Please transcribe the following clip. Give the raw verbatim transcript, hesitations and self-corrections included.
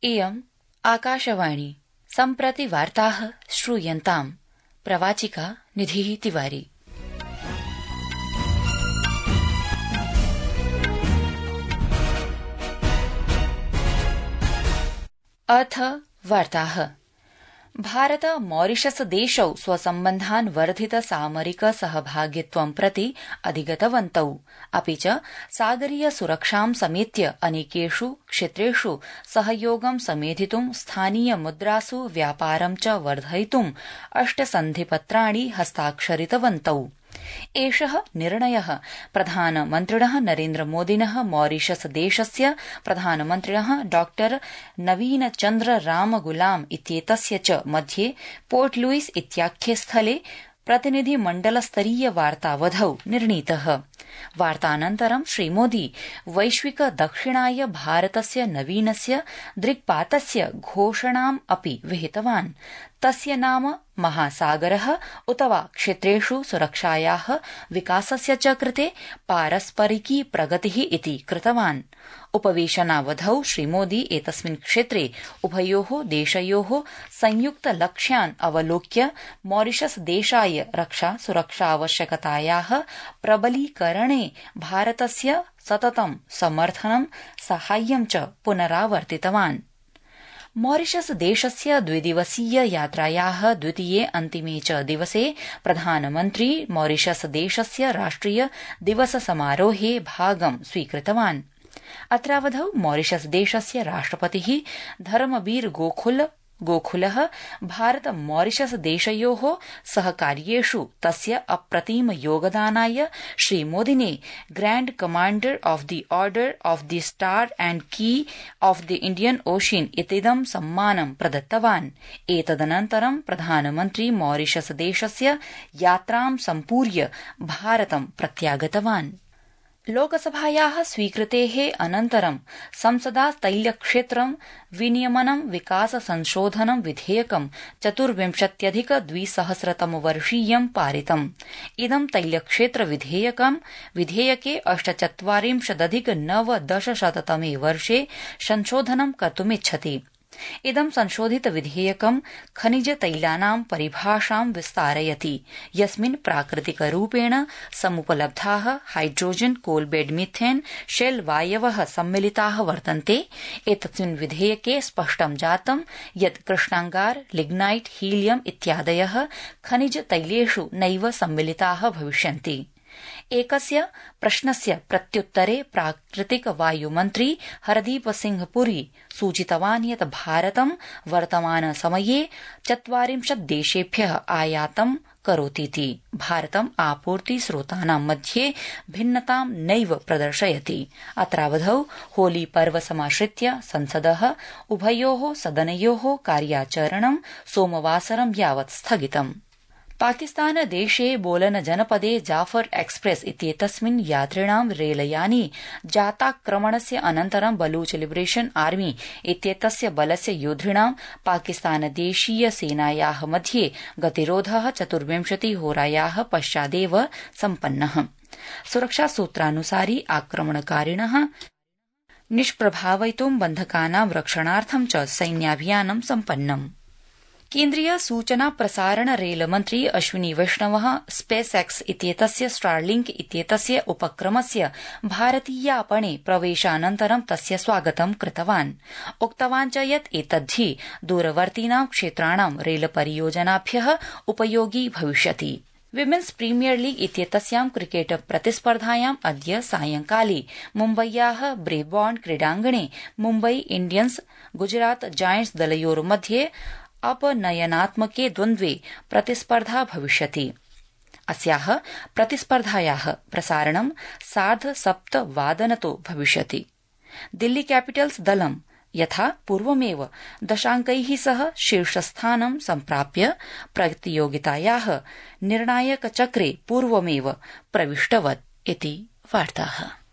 इयम् आकाशवाणी। सम्प्रति वार्ताः श्रूयन्ताम्। प्रवाचिका निधिः तिवारी। अथ वार्ताः। भारत मॉरिशस देशौ स्वसम्बन्धान् वर्धित सामरिक सहभागित्वं प्रति अधिगतवन्तौ, अपि च सागरीय सुरक्षां समेत्य अनेकेषु क्षेत्रेषु सहयोगं समेधितुं स्थानीय मुद्रासु व्यापारं च वर्धयितुं अष्ट सन्धिपत्राणि हस्ताक्षरितवन्तौ। एषः निर्णयः प्रधानमन्त्रिणः नरेन्द्रमोदिनः मॉरिशस देशस्य प्रधानमन्त्रिणः डॉ नवीन चन्द्र रामगुलाम इत्येतस्य च मध्ये पोर्ट लुइस इत्याख्ये स्थले प्रतिनिधिमण्डलस्तरीय वार्तावधौ निर्णीतः। वार्तानन्तरं श्रीमोदी वैश्विक दक्षिणाय भारतस्य नवीनस्य दृक्पातस्य घोषणाम् अपि विहितवान्। तस्य नाम महासागरः उत वा क्षेत्रेषु सुरक्षायाः विकासस्य च कृते पारस्परिकी प्रगतिः इति कृतवान्। उपवेशनावधौ श्रीमोदी एतस्मिन् क्षेत्रे उभयोः देशयोः संयुक्त लक्ष्यान् अवलोक्य मॉरिशस देशाय रक्षा सुरक्षावश्यकतायाः प्रबलीकरणे भारतस्य सततं समर्थनं साहाय्यं च पुनरावर्तितवान्। मॉरिशस देशस्य द्विदिवसीय यात्रायाः द्वितीये अन्तिमे च दिवसे प्रधानमन्त्री मॉरिशस देशस्य राष्ट्रिय दिवस समारोहे भागं स्वीकृतवान्। अत्रावधौ मॉरिशस देशस्य राष्ट्रपतिः धर्मबीर गोखुल गोखुलः भारत मॉरिशस देशयोः सहकार्येषु तस्य अप्रतिम योगदानाय श्रीमोदिने Grand Commander of the Order of the Star and Key of the Indian Ocean इतीदं सम्मानं प्रदत्तवान्। एतदनन्तरं प्रधानमन्त्री मॉरिशस देशस्य यात्रां सम्पूर्य भारतं प्रत्यागतवान्। लोकसभायाः स्वीकृतेः अनन्तरं संसदा तैलक्षेत्रं विनियमनं विकास संशोधनं विधेयकं चतुर्विंशत्यधिक द्विसहस्रतमवर्षीयं पारितम्। इदं तैलक्षेत्र विधेयकं विधेयके अष्टचत्वारिंशदधिक नवदशशततमे वर्षे संशोधनं कर्तुमिच्छति। इदं संशोधित विधेयकं खनिज तैलानां परिभाषां विस्तारयति, यस्मिन् प्राकृतिकरूपेण समुपलब्धाः हाइड्रोजन कोलबेड मिथेन शेल वायवः सम्मिलिताः वर्तन्ते। एतस्मिन् विधेयके स्पष्टं जातं यत् कृष्णांगार, लिग्नाइट, हीलियम इत्यादयः खनिज तैलेषु नैव सम्मिलिताः भविष्यन्ति। एकस्य प्रश्नस्य प्रत्युत्तरे प्राकृतिक वायुमन्त्री हरदीप सिंह पुरी सूचितवान् यत् भारतं वर्तमान समये चत्वारिंशत् देशेभ्यः आयातं करोतीति। भारतम् आपूर्ति स्रोतानां मध्ये भिन्नतां नैव प्रदर्शयति। अत्रावधौ होली पर्व समाश्रित्य संसदः उभयोः सदनयोः कार्याचरणं सोमवासरं यावत् स्थगितम्। पाकिस्तान देशे बोलन जनपदे जाफर एक्सप्रेस इत्येतस्मिन् यात्रिणां रेलयाने जाताक्रमणस्य अनन्तरं बलूच लिबरेशन आर्मी इत्येतस्य बलस्य योद्धिणां पाकिस्तानदेशीय सेनायाः मध्ये गतिरोधः चतुर्विंशतिहोरायाः पश्चादेव सम्पन्नः। सुरक्षासूत्रानुसारि आक्रमणकारिणः निष्प्रभावयितुं बन्धकानां रक्षणार्थं च सैन्याभियानं सम्पन्नम्। केन्द्रीय सूचना प्रसारण रेलमन्त्री अश्विनी वैष्णवः स्पेस एक्स इत्येतस्य स्टारलिंक इत्येतस्य उपक्रमस्य भारतीयापणे प्रवेशानन्तरं तस्य स्वागतं कृतवान्। उक्तवान् च यत् एतद्धि दूरवर्तीनां क्षेत्राणां रेलपरियोजनाभ्यः उपयोगी भविष्यति। विमेन्स प्रीमियर लीग इत्येतस्यां क्रिकेट प्रतिस्पर्धायाम् अद्य सायंकाले मुम्बय्याः ब्रेबॉर्न क्रीडाङ्गणे मुम्बई इण्डियन्स गुजरात जायंट्स दलयोर्मध्ये अपनयनात्मके द्वन्द्वे प्रतिस्पर्धा भविष्यति। अस्याः प्रतिस्पर्धायाः प्रसारणं सार्ध सप्त वादनतो भविष्यति। दिल्ली कैपिटल्स दलं यथा पूर्वमेव दशांकैः सह शीर्षस्थानं सम्प्राप्य प्रतियोगितायाः निर्णायकचक्रे पूर्वमेव प्रविष्टवत् इति वार्ताः।